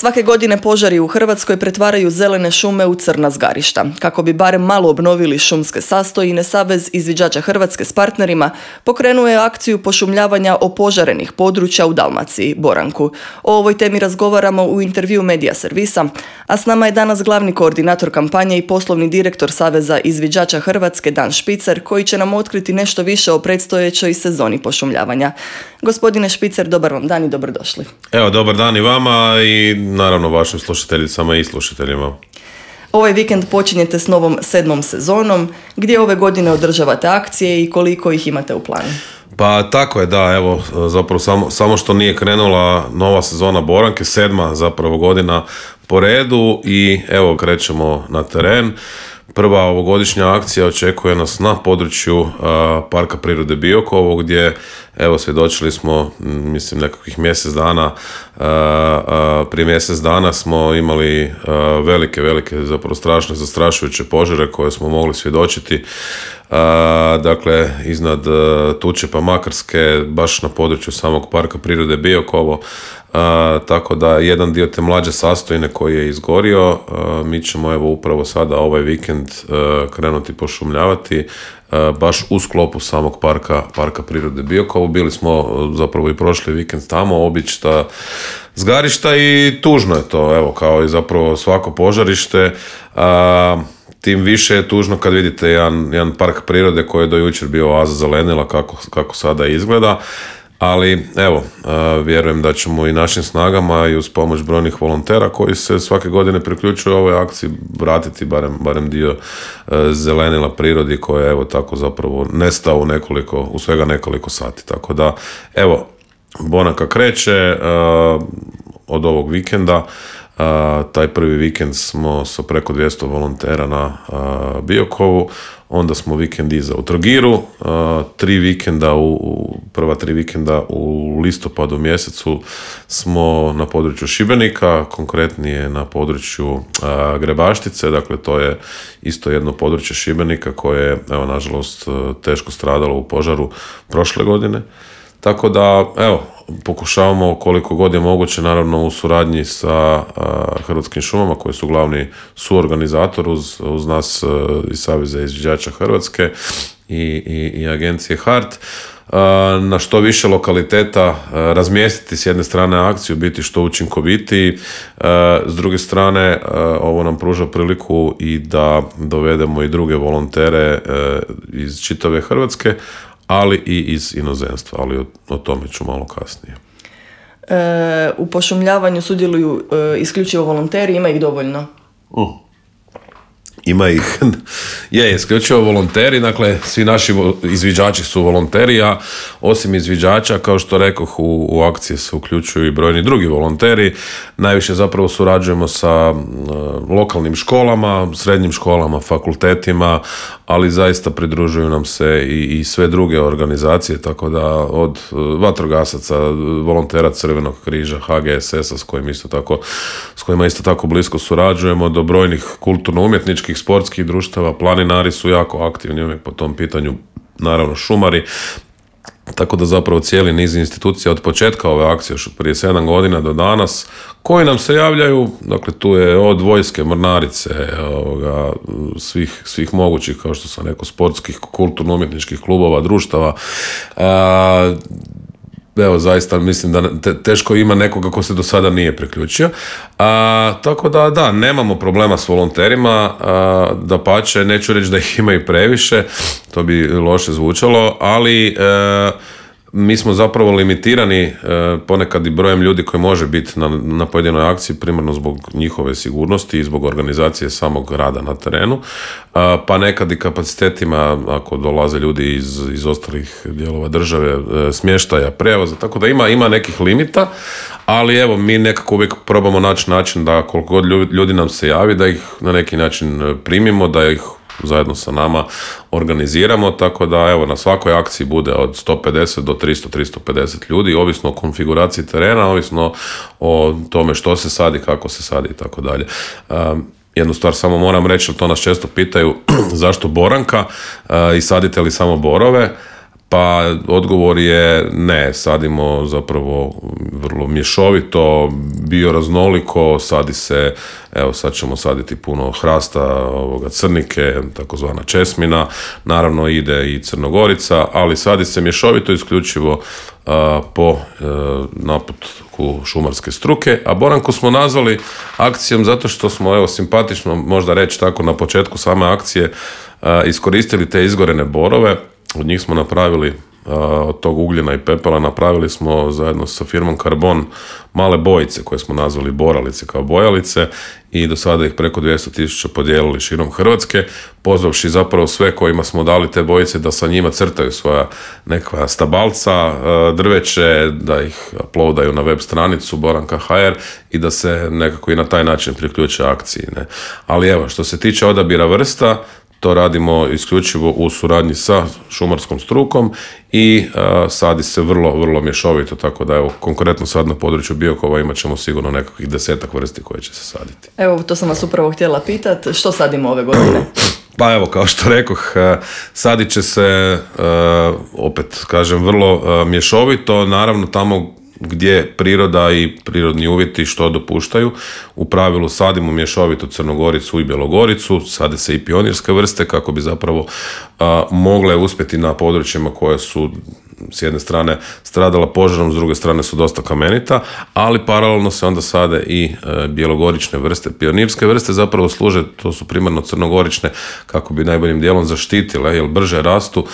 Svake godine požari u Hrvatskoj pretvaraju zelene šume u crna zgarišta. Kako bi barem malo obnovili šumske sastojine, Savez izviđača Hrvatske s partnerima pokrenuo je akciju pošumljavanja opožarenih područja u Dalmaciji, Boranku. O ovoj temi razgovaramo u intervju Medija servisa, a s nama je danas glavni koordinator kampanje i poslovni direktor Saveza izviđača Hrvatske Dan Špicer, koji će nam otkriti nešto više o predstojećoj sezoni pošumljavanja. Gospodine Špicer, dobar vam dan i dobrodošli. Evo, dobar dan i vama i naravno vašim slušateljicama i slušateljima. Ovaj vikend počinjete s novom 7. sezonom. Gdje ove godine održavate akcije i koliko ih imate u planu? Pa tako je, da, evo, zapravo samo što nije krenula nova sezona Boranke, 7. zapravo godina po redu i evo krećemo na teren. Prva ovogodišnja akcija očekuje nas na području Parka prirode Biokovo, gdje evo svjedočili smo, mislim, nekakvih mjesec dana, prije mjesec dana smo imali velike, zapravo strašne, zastrašujuće požare koje smo mogli svjedočiti. Dakle, iznad Tučepa, Makarske, baš na području samog Parka prirode Biokovo, tako da jedan dio te mlađe sastojine koji je izgorio, mi ćemo evo upravo sada ovaj vikend krenuti pošumljavati baš u sklopu samog Parka prirode Biokovo. Bili smo zapravo i prošli vikend tamo, obična zgarišta i tužno je to, evo, kao i zapravo svako požarište. Tim više je tužno kad vidite jedan park prirode koji je do jučer bio oaza zelenila kako sada izgleda. Ali evo, vjerujem da ćemo i našim snagama i uz pomoć brojnih volontera koji se svake godine priključuju ovoj akciji vratiti barem dio zelenila prirodi koja je evo tako zapravo nestao u svega nekoliko sati. Tako da evo, Boranka kreće od ovog vikenda. Taj prvi vikend smo sa preko 200 volontera na Biokovu, onda smo vikend iza u Trogiru, prva tri vikenda u listopadu mjesecu smo na području Šibenika, konkretnije na području Grebaštice, dakle to je isto jedno područje Šibenika koje je, evo, nažalost teško stradalo u požaru prošle godine. Tako da, evo, pokušavamo koliko god je moguće, naravno u suradnji sa Hrvatskim šumama koji su glavni suorganizator uz nas iz Saveza izviđača Hrvatske i agencije HART, na što više lokaliteta razmjestiti s jedne strane akciju, biti što učinkovitiji, s druge strane ovo nam pruža priliku i da dovedemo i druge volontere iz čitave Hrvatske, ali i iz inozemstva, ali o tome ću malo kasnije. U pošumljavanju sudjeluju isključivo volonteri, ima ih dovoljno? Ima ih, isključivo volonteri, dakle svi naši izviđači su volonteri, a osim izviđača, kao što rekoh, u akcije se uključuju i brojni drugi volonteri. Najviše zapravo surađujemo sa lokalnim školama, srednjim školama, fakultetima, ali zaista pridružuju nam se i sve druge organizacije, tako da od vatrogasaca, volontera Crvenog križa, HGSS-a s kojima isto tako blisko surađujemo, do brojnih kulturno-umjetničkih sportskih društava. Planinari su jako aktivni uvijek po tom pitanju, naravno šumari, tako da zapravo cijeli niz institucija od početka ove akcije, još od prije 7 godina do danas, koji nam se javljaju, dakle tu je od vojske, mornarice, svih mogućih, kao što sam rekao, sportskih, kulturno-umjetničkih klubova, društava. Evo, zaista mislim da teško ima nekoga ko se do sada nije priključio. Tako da, nemamo problema s volonterima, dapače, neću reći da ih ima i previše, to bi loše zvučalo, ali mi smo zapravo limitirani ponekad i brojem ljudi koji može biti na pojedinoj akciji, primarno zbog njihove sigurnosti i zbog organizacije samog rada na terenu, pa nekad i kapacitetima ako dolaze ljudi iz ostalih dijelova države, smještaja, prijevoza, tako da ima nekih limita, ali evo, mi nekako uvijek probamo naći način da koliko god ljudi nam se javi, da ih na neki način primimo, da ih zajedno sa nama organiziramo, tako da evo, na svakoj akciji bude od 150 do 300-350 ljudi, ovisno o konfiguraciji terena, ovisno o tome što se sadi, kako se sadi i tako dalje. Jednu stvar samo moram reći, to nas često pitaju, zašto Boranka i sadite li samo borove? Pa odgovor je ne, sadimo zapravo vrlo mješovito, bioraznoliko, sadi se, evo sad ćemo saditi puno hrasta, crnike, takozvana česmina, naravno ide i crnogorica, ali sadi se mješovito isključivo po naputku šumarske struke, a boranku smo nazvali akcijom zato što smo, evo, simpatično možda reći tako na početku same akcije, iskoristili te izgorene borove. Od njih smo napravili, od tog ugljena i pepela, napravili smo zajedno sa firmom Karbon male bojice koje smo nazvali boralice kao bojalice i do sada ih preko 200.000 podijelili širom Hrvatske, pozvavši zapravo sve kojima smo dali te bojice da sa njima crtaju svoja nekakva stabalca, drveće, da ih uploadaju na web stranicu boranka.hr i da se nekako i na taj način priključe akciji. Ne? Ali evo, što se tiče odabira vrsta, to radimo isključivo u suradnji sa šumarskom strukom i sadi se vrlo, vrlo mješovito, tako da evo, konkretno sad na području Biokova imat ćemo sigurno nekakvih 10 vrsti koje će se saditi. Evo, to sam vas upravo htjela pitati, što sadimo ove godine? Pa evo, kao što rekoh, sadit će se, opet kažem, vrlo mješovito, naravno tamo gdje priroda i prirodni uvjeti što dopuštaju. U pravilu sadimo mješovitu crnogoricu i bjelogoricu, sade se i pionirske vrste kako bi zapravo mogle uspjeti na područjima koje su s jedne strane stradala požarom, s druge strane su dosta kamenita, ali paralelno se onda sade i bjelogorične vrste. Pionirske vrste zapravo služe, to su primarno crnogorične, kako bi najboljim dijelom zaštitile, jer brže rastu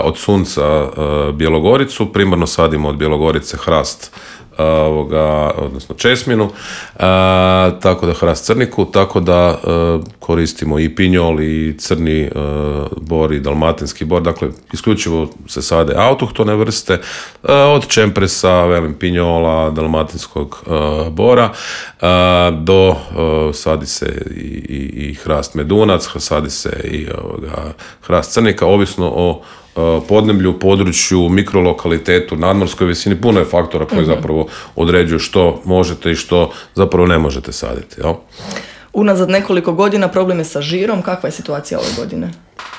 od sunca bjelogoricu. Primarno sadimo od bjelogorice hrast, odnosno česminu, tako da hrast crniku, tako da koristimo i pinjol i crni bor i dalmatinski bor, dakle isključivo se sade autohtone vrste, od čempresa, velim, pinjola, dalmatinskog bora, do sadi se i hrast medunac, sadi se i hrast crnika, ovisno o podneblju, području, mikrolokalitetu, nadmorskoj visini, puno je faktora koji zapravo određuju što možete i što zapravo ne možete saditi. Jel? Unazad nekoliko godina problem je sa žirom, kakva je situacija ove godine?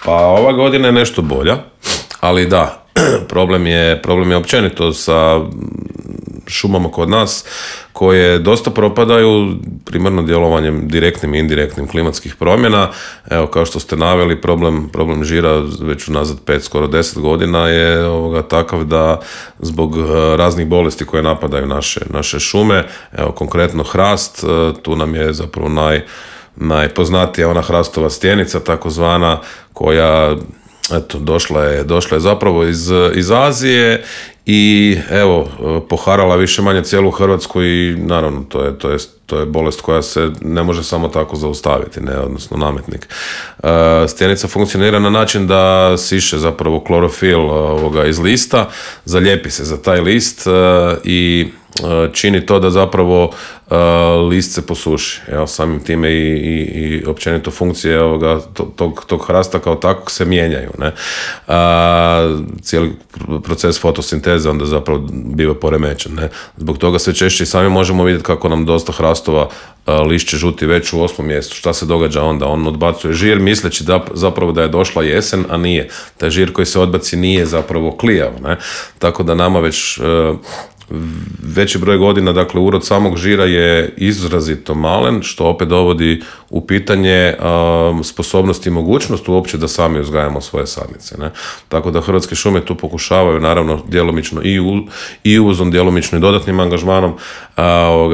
Pa ova godina je nešto bolja, ali da, problem je općenito sa šumama kod nas koje dosta propadaju primarno djelovanjem direktnim i indirektnim klimatskih promjena. Evo, kao što ste naveli, problem žira već unazad 5, skoro 10 godina je takav da zbog raznih bolesti koje napadaju naše šume, evo konkretno hrast, tu nam je zapravo najpoznatija ona hrastova stjenica takozvana, koja eto, došla je zapravo iz Azije i evo, poharala više manje cijelu Hrvatsku i naravno to je bolest koja se ne može samo tako zaustaviti, ne, odnosno nametnik. Stjenica funkcionira na način da siše zapravo klorofil iz lista, zalijepi se za taj list i čini to da zapravo list se posuši. Evo, samim time i općenito funkcije tog hrasta kao takvog se mijenjaju. Ne? Cijeli proces fotosinteze onda zapravo biva poremećen. Ne? Zbog toga sve češće i sami možemo vidjeti kako nam dosta hrastova lišće žuti već u 8. mjesecu. Šta se događa onda? On odbacuje žir misleći zapravo da je došla jesen, a nije. Taj žir koji se odbaci nije zapravo klijav. Ne? Tako da nama već veći broj godina, dakle, urod samog žira je izrazito malen, što opet dovodi u pitanje sposobnost i mogućnost uopće da sami uzgajamo svoje sadnice. Ne? Tako da Hrvatske šume tu pokušavaju, naravno, djelomično i uvozom, djelomično i dodatnim angažmanom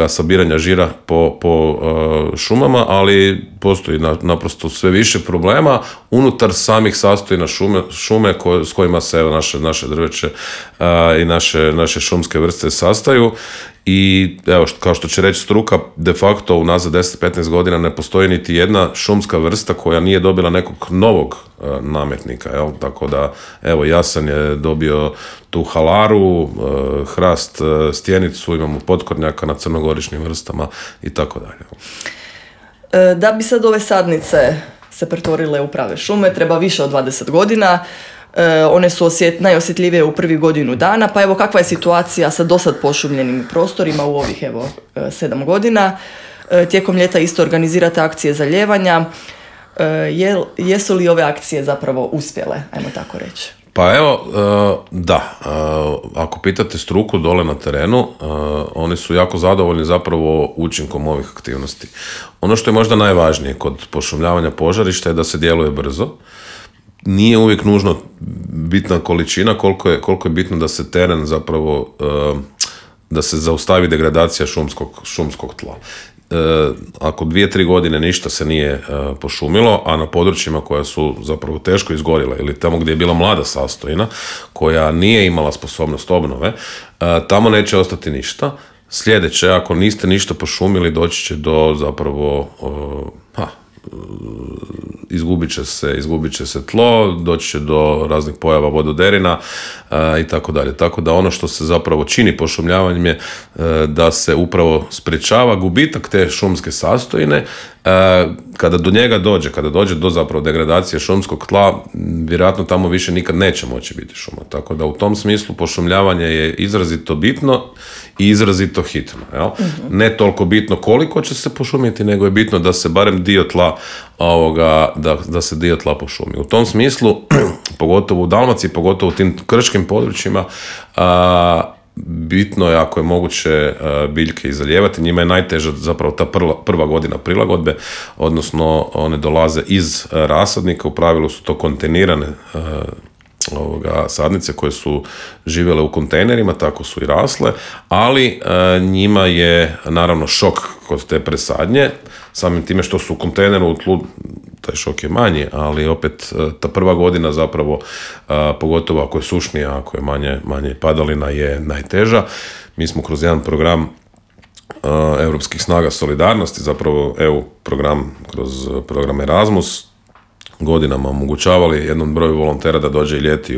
sabiranja žira po šumama, i postoji naprosto sve više problema unutar samih sastojina šume s kojima se naše drveće i naše šumske vrste sastaju. I evo, kao što će reći struka, de facto unazad 10-15 godina ne postoji niti jedna šumska vrsta koja nije dobila nekog novog nametnika. Jel? Tako da, evo, jasan je dobio tu halaru, hrast, stjenicu, imamo potkornjaka na crnogoričnim vrstama i tako dalje. Da bi sad ove sadnice se pretvorile u prave šume, treba više od 20 godina. One su najosjetljivije u prvih godinu dana, pa evo, kakva je situacija sa dosad pošumljenim prostorima u ovih 7 godina. Tijekom ljeta isto organizirate akcije zalijevanja. Jesu li ove akcije zapravo uspjele, ajmo tako reći? Pa evo, da, ako pitate struku dole na terenu, oni su jako zadovoljni zapravo učinkom ovih aktivnosti. Ono što je možda najvažnije kod pošumljavanja požarišta je da se djeluje brzo. Nije uvijek nužno bitna količina, koliko je bitno da se teren zapravo, da se zaustavi degradacija šumskog tla. Ako 2-3 godine ništa se nije pošumilo, a na područjima koja su zapravo teško izgorila ili tamo gdje je bila mlada sastojina koja nije imala sposobnost obnove, tamo neće ostati ništa. Sljedeće, ako niste ništa pošumili, doći će do zapravo izgubit će se tlo, doći će do raznih pojava vododerina i tako dalje. Tako da ono što se zapravo čini pošumljavanjem je da se upravo sprječava gubitak te šumske sastojine. Kada do njega dođe, kada dođe do zapravo degradacije šumskog tla, vjerojatno tamo više nikad neće moći biti šuma. Tako da u tom smislu pošumljavanje je izrazito bitno i izrazito hitno. Jel? Mm-hmm. Ne toliko bitno koliko će se pošumiti, nego je bitno da se barem dio tla da se dio tla pošumi. U tom smislu, pogotovo u Dalmaciji, pogotovo u tim krškim područjima, bitno je ako je moguće biljke izalijevati. Njima je najteža zapravo ta prva godina prilagodbe, odnosno one dolaze iz rasadnika, u pravilu su to kontejnirane sadnice koje su živjele u kontejnerima, tako su i rasle, ali njima je naravno šok kod te presadnje, samim time što su u kontejneru u tlu, taj šok je manji, ali opet ta prva godina zapravo, pogotovo ako je sušnija, ako je manje padalina, je najteža. Mi smo kroz jedan program Europskih snaga solidarnosti, zapravo EU program, kroz program Erasmus, godinama omogućavali jednom broju volontera da dođe i ljeti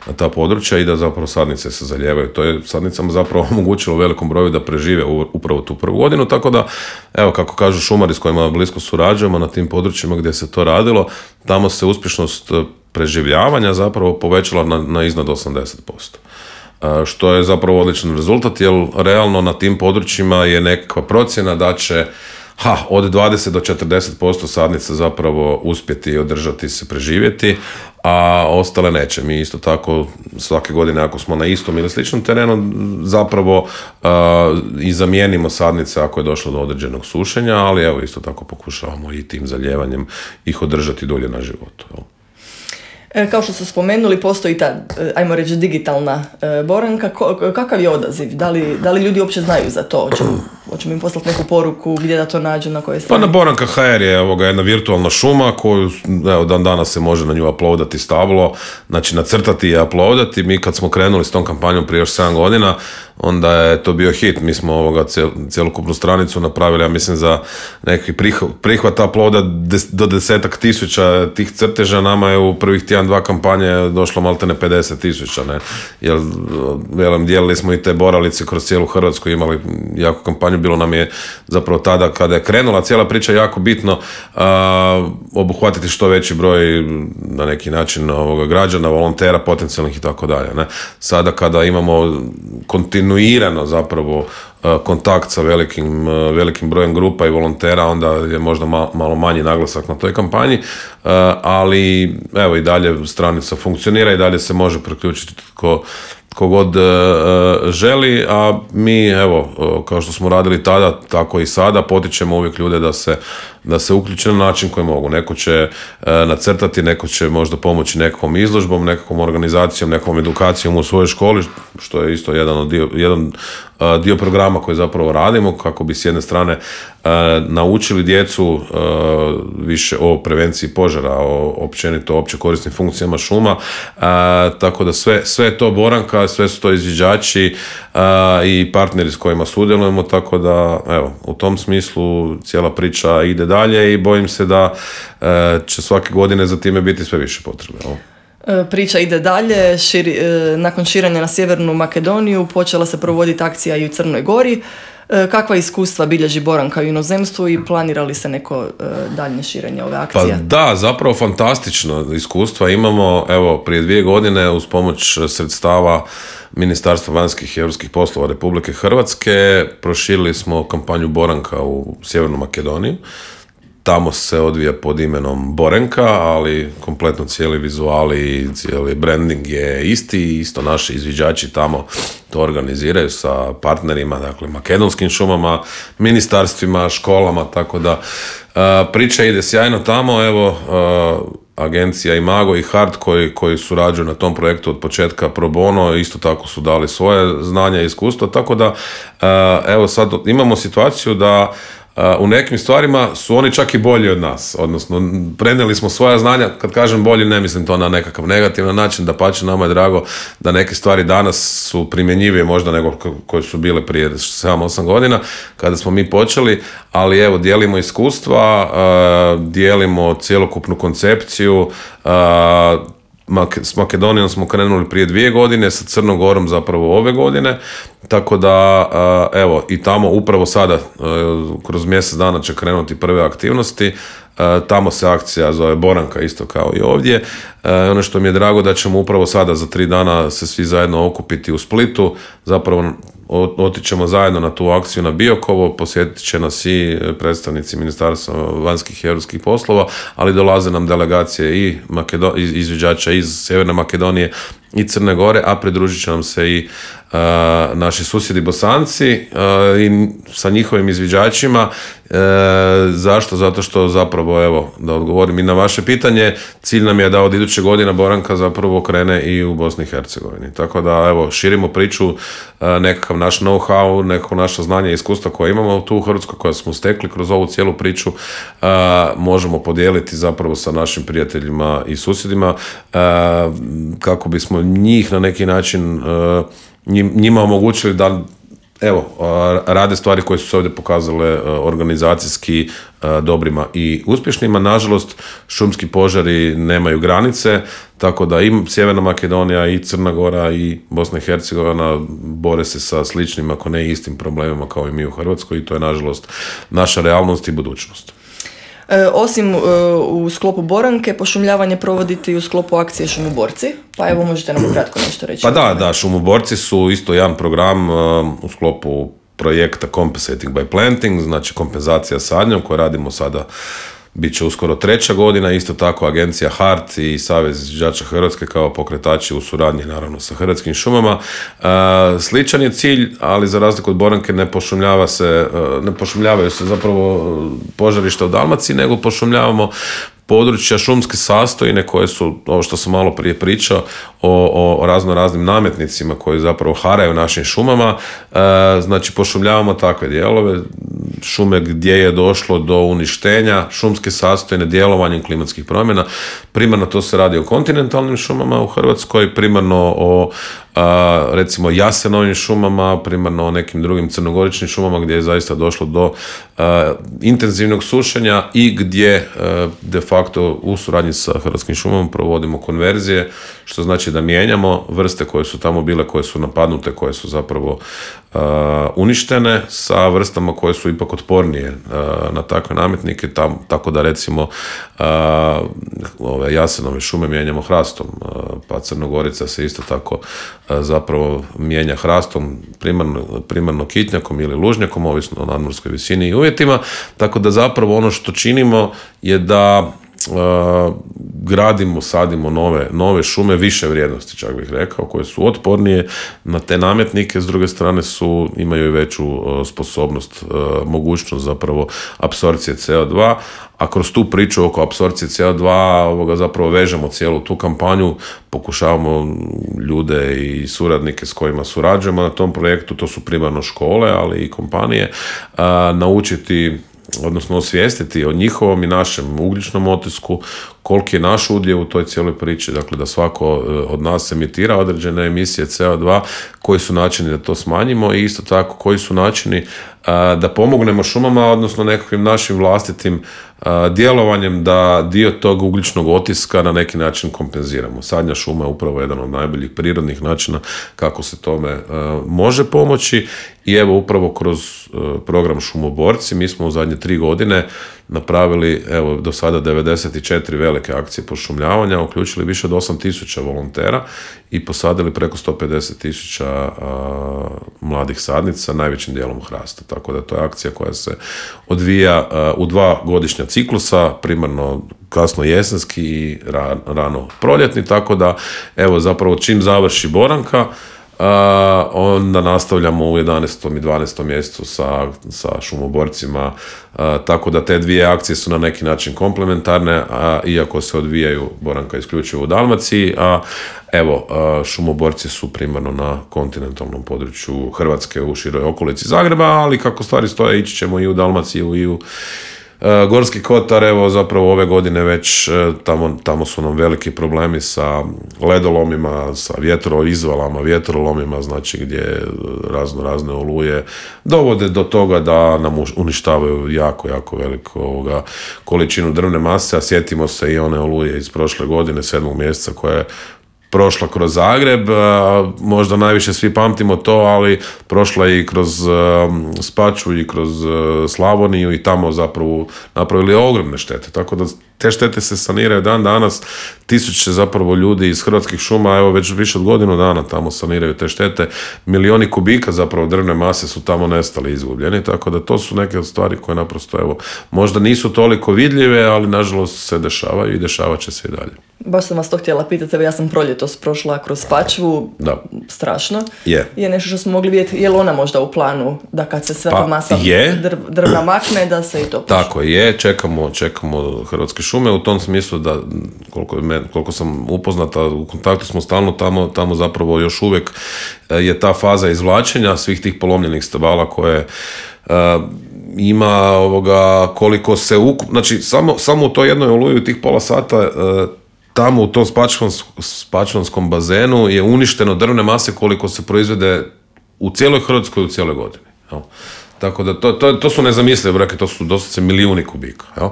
na ta područja i da zapravo sadnice se zalijevaju. To je sadnicama zapravo omogućilo velikom broju da prežive upravo tu prvu godinu, tako da, evo, kako kažu šumari s kojima blisko surađujemo na tim područjima gdje se to radilo, tamo se uspješnost preživljavanja zapravo povećala na iznad 80%. Što je zapravo odličan rezultat, jer realno na tim područjima je nekakva procjena da će od 20 do 40% sadnica zapravo uspjeti i održati se, preživjeti, a ostale neće. Mi isto tako svake godine, ako smo na istom ili sličnom terenu, zapravo i zamijenimo sadnice ako je došlo do određenog sušenja, ali evo isto tako pokušavamo i tim zalijevanjem ih održati dulje na životu. Kao što su spomenuli, postoji ta, ajmo reći, digitalna boranka. Kakav je odaziv? Da li ljudi uopće znaju za to? Hoćemo im poslati neku poruku gdje da to nađu, na koje strane? Pa na Boranka.hr je jedna virtualna šuma koju dan danas se može na nju uploadati stablo, znači nacrtati i uploadati. Mi kad smo krenuli s tom kampanjom prije još 7 godina, onda je to bio hit. Mi smo cjelokupnu stranicu napravili, ja mislim, za neki prihvat uploada do 10.000 tih crteža. Nama je u prvih tjedan 2 kampanje došlo maltene 50.000, jer dijelili smo i te boralice kroz cijelu Hrvatsku, imali jako kampanju. Bilo nam je zapravo tada kada je krenula cijela priča jako bitno obuhvatiti što veći broj na neki način građana, volontera, potencijalnih i tako dalje. Sada kada imamo kontinuirano zapravo kontakt sa velikim brojem grupa i volontera, onda je možda malo manji naglasak na toj kampanji, ali evo i dalje stranica funkcionira i dalje se može priključiti ko god želi, a mi, evo, kao što smo radili tada, tako i sada, potičemo uvijek ljude da se uključe na način koji mogu. Neko će nacrtati, neko će možda pomoći nekakvom izložbom, nekakvom organizacijom, nekakvom edukacijom u svojoj školi, što je isto jedan dio programa koji zapravo radimo, kako bi s jedne strane naučili djecu više o prevenciji požara, o općenito opće korisnim funkcijama šuma, tako da sve je to Boranka, sve su to izviđači i partneri s kojima sudjelujemo, tako da, evo, u tom smislu cijela priča ide dalje i bojim se da će svake godine za time biti sve više potrebe. Priča ide dalje. Nakon širenja na Sjevernu Makedoniju počela se provoditi akcija i u Crnoj Gori. Kakva iskustva bilježi Boranka u inozemstvu i planira li se neko daljnje širenje ove akcije? Pa da, zapravo fantastično iskustva imamo. Evo, prije 2 godine uz pomoć sredstava Ministarstva vanjskih i europskih poslova Republike Hrvatske proširili smo kampanju Boranka u Sjevernu Makedoniju. Tamo se odvija pod imenom Borenka, ali kompletno cijeli vizuali i cijeli branding je isti. Isto naši izviđači tamo to organiziraju sa partnerima, dakle makedonskim šumama, ministarstvima, školama, tako da priča ide sjajno tamo. Evo, agencija Imago i Hart koji surađuju na tom projektu od početka pro bono, isto tako su dali svoje znanja i iskustva, tako da evo sad imamo situaciju da u nekim stvarima su oni čak i bolji od nas, odnosno prenijeli smo svoja znanja, kad kažem bolji ne mislim to na nekakav negativan način, dapače nama je drago da neke stvari danas su primjenjivije možda nego koje su bile prije 7-8 godina kada smo mi počeli, ali evo dijelimo iskustva, dijelimo cjelokupnu koncepciju. S Makedonijom smo krenuli prije 2 godine, sa Crnom Gorom zapravo ove godine, tako da evo i tamo upravo sada kroz mjesec dana će krenuti prve aktivnosti. Tamo se akcija zove Boranka isto kao i ovdje. Ono što mi je drago da ćemo upravo sada za 3 dana se svi zajedno okupiti u Splitu, zapravo otićemo zajedno na tu akciju na Biokovo, posjetit će nas i predstavnici Ministarstva vanjskih i europskih poslova, ali dolaze nam delegacije i izviđača iz Sjeverne Makedonije i Crne Gore, a pridružit će nam se i naši susjedi Bosanci i sa njihovim izviđačima. Zašto? Zato što zapravo, evo, da odgovorim i na vaše pitanje, cilj nam je da od iduće godine Boranka zapravo krene i u Bosni i Hercegovini. Tako da, evo, širimo priču, nekakav naš know-how, nekako naša znanja i iskustva koja imamo tu u Hrvatskoj, koja smo stekli kroz ovu cijelu priču, možemo podijeliti zapravo sa našim prijateljima i susjedima, kako bismo njih na neki način njima omogućili da evo, rade stvari koje su se ovdje pokazale organizacijski dobrima i uspješnima. Nažalost, šumski požari nemaju granice, tako da i Sjeverna Makedonija i Crna Gora i Bosna i Hercegovina bore se sa sličnim, ako ne istim problemima kao i mi u Hrvatskoj, i to je nažalost naša realnost i budućnost. Osim u sklopu Boranke, pošumljavanje provodite i u sklopu akcije Šumoborci, pa evo možete nam kratko nešto reći. Pa da, Šumoborci su isto jedan program u sklopu projekta Compensating by Planting, znači kompenzacija sadnjom koju radimo sada, bit će uskoro 3. godina, isto tako agencija Hart i Savez izviđača Hrvatske kao pokretači u suradnji naravno sa Hrvatskim šumama. Sličan je cilj, ali za razliku od Boranke ne pošumljavaju se zapravo požarišta u Dalmaciji, nego pošumljavamo područja šumske sastojine koje su, ovo što sam malo prije pričao, o raznim nametnicima koji zapravo haraju našim šumama. Znači pošumljavamo takve dijelove, šume gdje je došlo do uništenja šumske sastojine djelovanjem klimatskih promjena. Primarno to se radi o kontinentalnim šumama u Hrvatskoj, primarno o recimo jasenovim šumama, primarno o nekim drugim crnogoričnim šumama gdje je zaista došlo do intenzivnog sušenja i gdje de facto u suradnji sa Hrvatskim šumama provodimo konverzije, što znači da mijenjamo vrste koje su tamo bile, koje su napadnute, koje su zapravo uništene sa vrstama koje su ipak otpornije na takve nametnike, tako da recimo ove jasenove šume mijenjamo hrastom, pa Crnogorica se isto tako zapravo mijenja hrastom, primarno kitnjakom ili lužnjakom, ovisno o nadmorskoj visini i uvjetima, tako da zapravo ono što činimo je da gradimo, sadimo nove šume više vrijednosti, čak bih rekao, koje su otpornije na te nametnike, s druge strane imaju i veću sposobnost, mogućnost zapravo apsorpcije CO2, a kroz tu priču oko apsorpcije CO2 zapravo vežemo cijelu tu kampanju, pokušavamo ljude i suradnike s kojima surađujemo na tom projektu, to su primarno škole, ali i kompanije, naučiti, odnosno osvijestiti o njihovom i našem ugljičnom otisku, koliki je naš udjel u toj cijeloj priči, dakle da svako od nas emitira određene emisije CO2, koji su načini da to smanjimo i isto tako koji su načini da pomognemo šumama, odnosno nekakvim našim vlastitim djelovanjem da dio tog ugljičnog otiska na neki način kompenziramo. Sadnja šuma je upravo jedan od najboljih prirodnih načina kako se tome može pomoći i evo upravo kroz program Šumoborci mi smo u zadnje 3 godine napravili evo do sada 94 velike akcije pošumljavanja, uključili više od 8.000 volontera i posadili preko 150.000 mladih sadnica, najvećim dijelom hrasta. Tako da to je akcija koja se odvija u 2 godišnja ciklusa, primarno kasno jesenski i rano proljetni, tako da evo zapravo čim završi Boranka, onda nastavljamo u 11. i 12. mjesecu sa šumoborcima, tako da te dvije akcije su na neki način komplementarne, iako se odvijaju Boranka isključivo u Dalmaciji, a evo, šumoborci su primarno na kontinentalnom području Hrvatske u široj okolici Zagreba, ali kako stvari stoje, ići ćemo i u Dalmaciju i u Gorski kotar. Evo zapravo ove godine već tamo su nam veliki problemi sa ledolomima, sa vjetroizvalama, vjetrolomima, znači gdje razne oluje dovode do toga da nam uništavaju jako veliku količinu drvne mase, a sjetimo se i one oluje iz prošle godine, 7. mjeseca, koja je prošla kroz Zagreb, možda najviše svi pamtimo to, ali prošla i kroz Spačvu i kroz Slavoniju i tamo zapravo napravili ogromne štete, tako da te štete se saniraju dan danas, tisuće zapravo ljudi iz Hrvatskih šuma, evo već više od godinu dana tamo saniraju te štete, milioni kubika zapravo drvne mase su tamo nestali, izgubljeni, tako da to su neke od stvari koje naprosto evo možda nisu toliko vidljive, ali nažalost se dešavaju i dešavat će se i dalje. Baš sam vas to htjela pitati, ja sam proljetos prošla kroz Spačvu, strašno. Je nešto što smo mogli vidjeti, je li ona možda u planu da kad se sva ta masa drvna makne, da se i to puši? Tako je, čekamo Hrvatske šume u tom smislu da, koliko sam upoznata, u kontaktu smo stalno tamo zapravo još uvijek je ta faza izvlačenja svih tih polomljenih stabala koje ima koliko se znači samo u toj jednoj oluji tih pola sata tamo u tom spačvanskom bazenu je uništeno drvne mase koliko se proizvede u cijeloj Hrvatskoj u cijeloj godini. Jel? Tako da to su nezamislive brojke, to su doslovce milijuni kubika. Jel?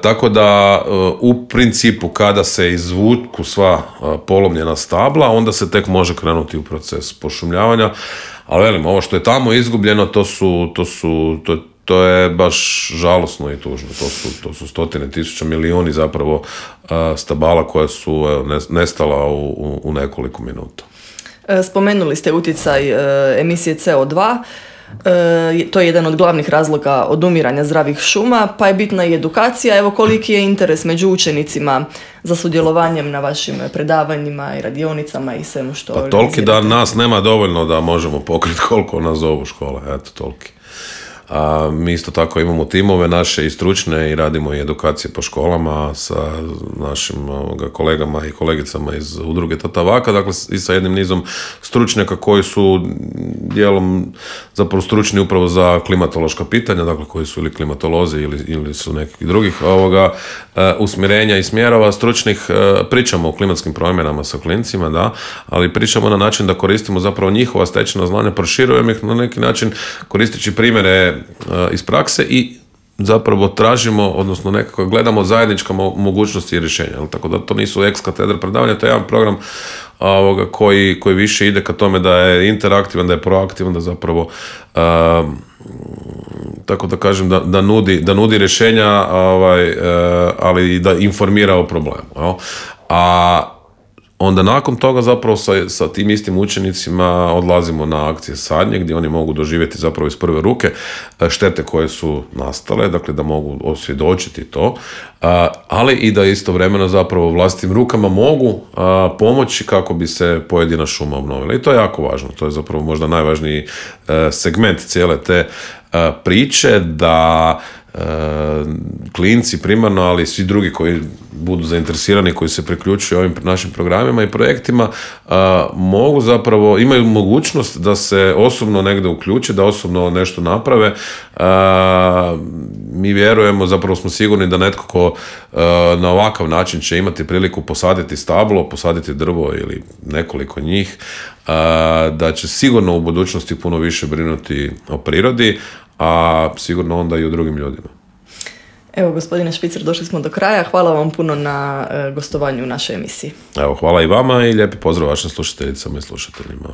Tako da u principu kada se izvuku sva polomljena stabla, onda se tek može krenuti u proces pošumljavanja. Ali velim, ovo što je tamo izgubljeno, to je baš žalosno i tužno. To su stotine tisuća, milijuni zapravo stabala koja su nestala u nekoliko minuta. Spomenuli ste utjecaj emisije CO2. To je jedan od glavnih razloga odumiranja zdravih šuma, pa je bitna i edukacija. Evo, koliki je interes među učenicima za sudjelovanjem na vašim predavanjima i radionicama i svemu što organizirate? Pa toliki da nas nema dovoljno da možemo pokriti koliko nas zovu škole, eto toliki. A mi isto tako imamo timove naše i stručne i radimo i edukacije po školama sa našim kolegama i kolegicama iz udruge Tatavaka, dakle i sa jednim nizom stručnjaka koji su dijelom zapravo stručni upravo za klimatološka pitanja, dakle koji su ili klimatolozi ili su nekih drugih usmjerenja i smjerova stručnih. Pričamo o klimatskim promjenama sa klincima, da, ali pričamo na način da koristimo zapravo njihova stečena znanja, proširujemo ih na neki način koristeći primjere iz prakse i zapravo tražimo, odnosno nekako gledamo zajednička mogućnosti i rješenja. Tako da to nisu ex katedra predavanja, to je jedan program koji više ide ka tome da je interaktivan, da je proaktivan, da zapravo tako da kažem da nudi rješenja, ali i da informira o problemu. A onda nakon toga zapravo sa tim istim učenicima odlazimo na akcije sadnje gdje oni mogu doživjeti zapravo iz prve ruke štete koje su nastale, dakle da mogu osvjedočiti to, ali i da istovremeno zapravo vlastitim rukama mogu pomoći kako bi se pojedina šuma obnovila. I to je jako važno, to je zapravo možda najvažniji segment cijele te priče, da klinci primarno, ali i svi drugi koji budu zainteresirani, koji se priključuju ovim našim programima i projektima, mogu zapravo, imaju mogućnost da se osobno negdje uključe, da osobno nešto naprave. Mi vjerujemo, zapravo smo sigurni da netko ko na ovakav način će imati priliku posaditi stablo, posaditi drvo ili nekoliko njih, da će sigurno u budućnosti puno više brinuti o prirodi, a sigurno onda i o drugim ljudima. Evo, gospodine Špicer, došli smo do kraja. Hvala vam puno na gostovanju u našoj emisiji. Evo, hvala i vama i lijepi pozdrav vašim slušateljicama i slušateljima.